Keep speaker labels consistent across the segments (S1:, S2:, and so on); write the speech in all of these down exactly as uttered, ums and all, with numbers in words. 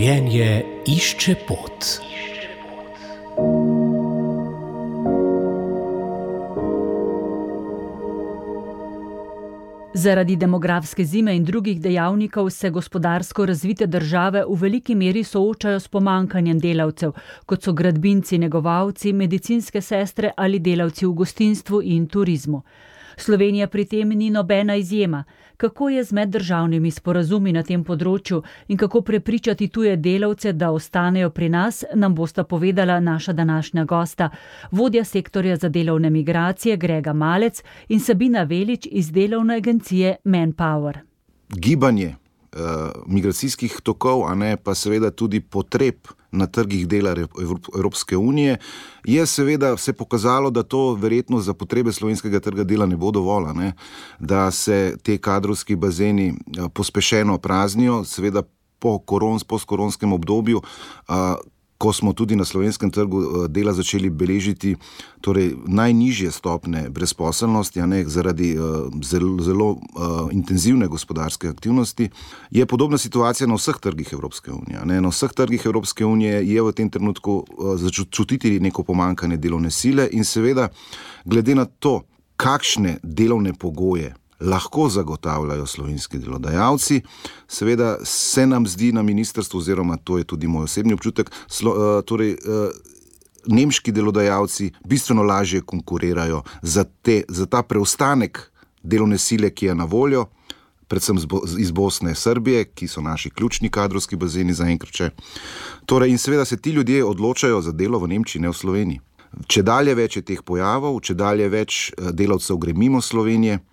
S1: Življenje išče pot.
S2: Zaradi demografske zime in drugih dejavnikov se gospodarsko razvite države v veliki meri soočajo s pomanjkanjem delavcev, kot so gradbinci, negovalci, medicinske sestre ali delavci v gostinstvu in turizmu. Slovenija pri tem ni nobena izjema. Kako je z meddržavnimi sporazumi na tem področju in kako prepričati tuje delavce, da ostanejo pri nas, nam bosta povedala naša današnja gosta, vodja sektorja za delovne migracije Grega Malec in Sabina Velič iz delovne agencije Manpower.
S3: Gibanje uh, migracijskih tokov, a ne pa seveda tudi potreb na trgih dela Evropske unije, je seveda se pokazalo, da to verjetno za potrebe slovenskega trga dela ne bo dovolj, ne? Da se te kadrovski bazeni pospešeno praznijo, seveda po korons, postkoronskem obdobju, a, ko smo tudi na slovenskem trgu dela začeli beležiti torej najnižje stopne brezposelnosti, a ne, zaradi uh, zelo, zelo uh, intenzivne gospodarske aktivnosti, je podobna situacija na vseh trgih Evropske unije. Ne. Na vseh trgih Evropske unije je v tem trenutku uh, začutiti neko pomanjkanje delovne sile in seveda glede na to, kakšne delovne pogoje lahko zagotavljajo slovenski delodajalci, seveda se nam zdi na ministrstvu, oziroma to je tudi moj osebni občutek, slo, uh, torej uh, nemški delodajalci bistveno lažje konkurirajo za, te, za ta preostanek delovne sile, ki je na voljo, predvsem iz Bosne in Srbije, ki so naši ključni kadrovski bazeni zaenkrat še. Torej, in seveda se ti ljudje odločajo za delo v Nemčiji, ne v Sloveniji. Če dalje več je teh pojavov, če dalje več delavcev gre mimo Slovenije,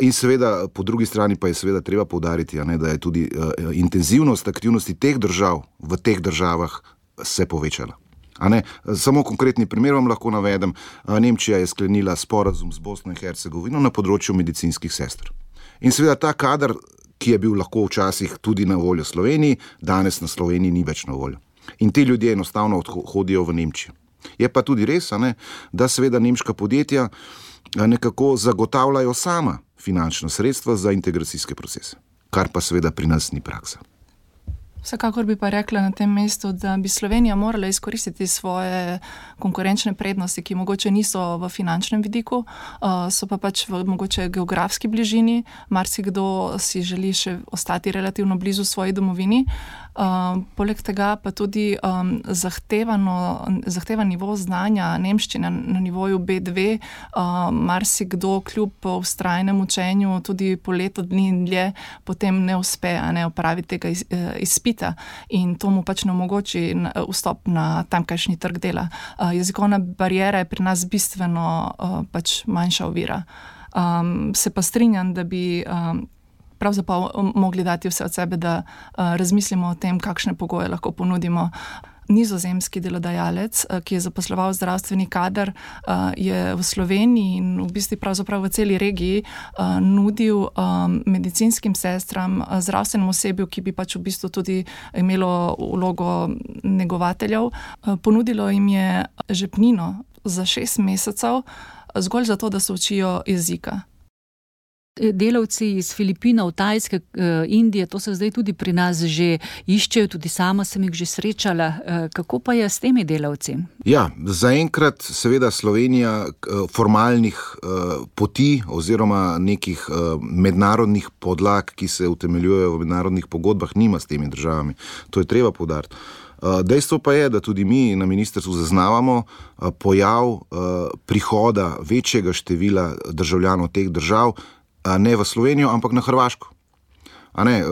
S3: in seveda po drugi strani pa je seveda treba poudariti, a ne, da je tudi uh, intenzivnost aktivnosti teh držav v teh državah se povečala. A ne, samo konkretni primer vam lahko navedem. Nemčija je sklenila sporazum z Bosno in Hercegovino na področju medicinskih sester. In seveda ta kader, ki je bil lahko včasih tudi na voljo Sloveniji, danes na Sloveniji ni več na voljo. In ti ljudje enostavno odhodijo v Nemčijo. Je pa tudi res, a ne, da seveda nemška podjetja nekako zagotavljajo sama finančna sredstva za integracijske procese, kar pa seveda pri nas ni praksa.
S4: Vsekakor bi pa rekla na tem mestu, da bi Slovenija morala izkoristiti svoje konkurenčne prednosti, ki mogoče niso v finančnem vidiku, so pa pač v mogoče geografski bližini. Marsikdo si želi še ostati relativno blizu svoji domovini. Poleg tega pa tudi zahtevano, zahtevan nivo znanja nemščine na nivoju bé dve, marsikdo kljub vztrajnem učenju tudi po leto dni in dlje potem ne uspe ne opraviti tega izpita. In to mu pač ne omogoči vstop na tamkajšnji trg dela. Jezikovna bariera je pri nas bistveno pač manjša ovira. Um, se pa strinjam, da bi um, pravzaprav mogli dati vse od sebe, da uh, razmislimo o tem, kakšne pogoje lahko ponudimo. Nizozemski delodajalec, ki je zaposloval zdravstveni kader, je v Sloveniji in v bistvu pravzaprav v celi regiji nudil medicinskim sestram, zdravstvenemu osebju, ki bi pač v bistvu tudi imelo vlogo negovateljev, ponudilo jim je žepnino za šest mesecev, zgolj zato, da se učijo jezika.
S2: Delavci iz Filipinov, Tajske, Indije, to se zdaj tudi pri nas že iščejo, tudi sama sem jih že srečala. Kako pa je s temi delavci?
S3: Ja, zaenkrat seveda Slovenija formalnih poti oziroma nekih mednarodnih podlag, ki se utemeljujejo v mednarodnih pogodbah, nima s temi državami. To je treba poudariti. Dejstvo pa je, da tudi mi na ministrstvu zaznavamo pojav prihoda večjega števila državljanov teh držav, ne v Slovenijo, ampak na Hrvaško. A ne,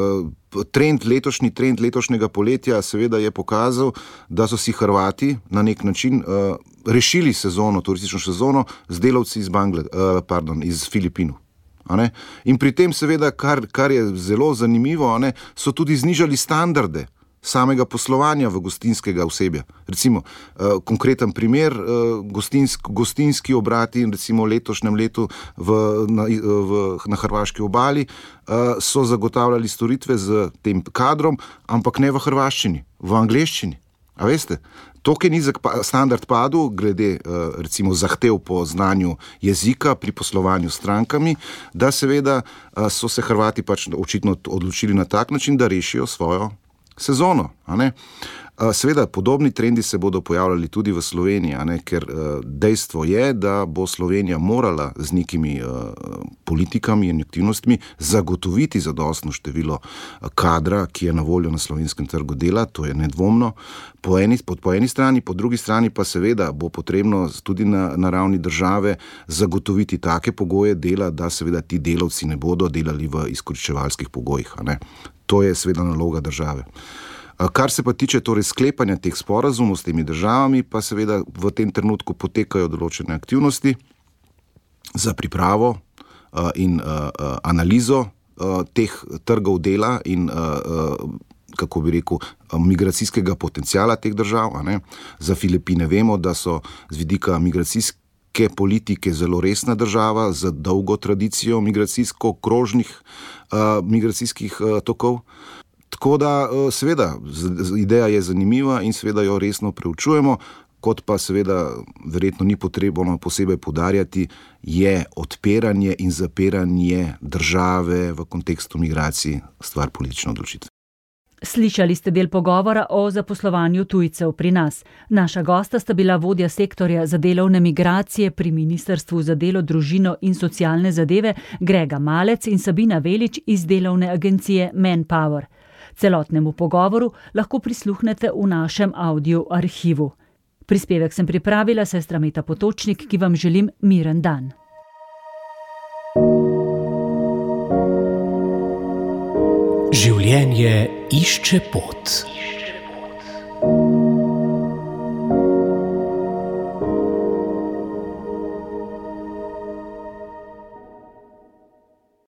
S3: trend, letošnji trend letošnjega poletja seveda je pokazal, da so si Hrvati na nek način uh, rešili sezono, turistično sezono z delavci iz, Bangle, uh, pardon, iz Filipinov. A ne? In pri tem seveda, kar, kar je zelo zanimivo, a ne, so tudi znižali standarde samega poslovanja v gostinskega osebja. Recimo, uh, konkreten primer, uh, gostinsk, gostinski obrati recimo letošnjem letu v, na, v, na hrvaški obali uh, so zagotavljali storitve z tem kadrom, ampak ne v hrvaščini, v angleščini. A veste, toliko je nizek standard padel glede uh, recimo zahtev po znanju jezika pri poslovanju s strankami, da seveda uh, so se Hrvati pač očitno odločili na tak način, da rešijo svojo sezono. A ne? Seveda, podobni trendi se bodo pojavljali tudi v Sloveniji, a ne? Ker dejstvo je, da bo Slovenija morala z nekimi politikami in aktivnostmi zagotoviti zadostno število kadra, ki je na voljo na slovenskem trgu dela, to je nedvomno. Po eni, po eni strani, po drugi strani pa seveda bo potrebno tudi na, na ravni države zagotoviti take pogoje dela, da seveda ti delavci ne bodo delali v izkoriščevalskih pogojih. A ne? To je seveda naloga države. Kar se pa tiče torej sklepanja teh sporazumov s temi državami, pa seveda v tem trenutku potekajo določene aktivnosti za pripravo uh, in uh, uh, analizo uh, teh trgov dela in uh, uh, kako bi rekel, migracijskega potenciala teh držav. A ne? Za Filipine vemo, da so z vidika migracijske politike zelo resna država z dolgo tradicijo migracijsko-krožnih uh, migracijskih uh, tokov. Tako da, seveda, ideja je zanimiva in seveda jo resno preučujemo, kot pa seveda verjetno ni potrebno posebej poudarjati, je odpiranje in zapiranje države v kontekstu migracij stvar politične odločitve.
S2: Slišali ste del pogovora o zaposlovanju tujcev pri nas. Naša gosta sta bila vodja sektorja za delovne migracije pri Ministrstvu za delo, družino in socialne zadeve Grega Malec in Sabina Velič iz delovne agencije Manpower. Celotnemu pogovoru lahko prisluhnete v našem audio arhivu. Prispevek sem pripravila, sestra Meta Potočnik, ki vam želim miren dan.
S1: Življenje išče pot.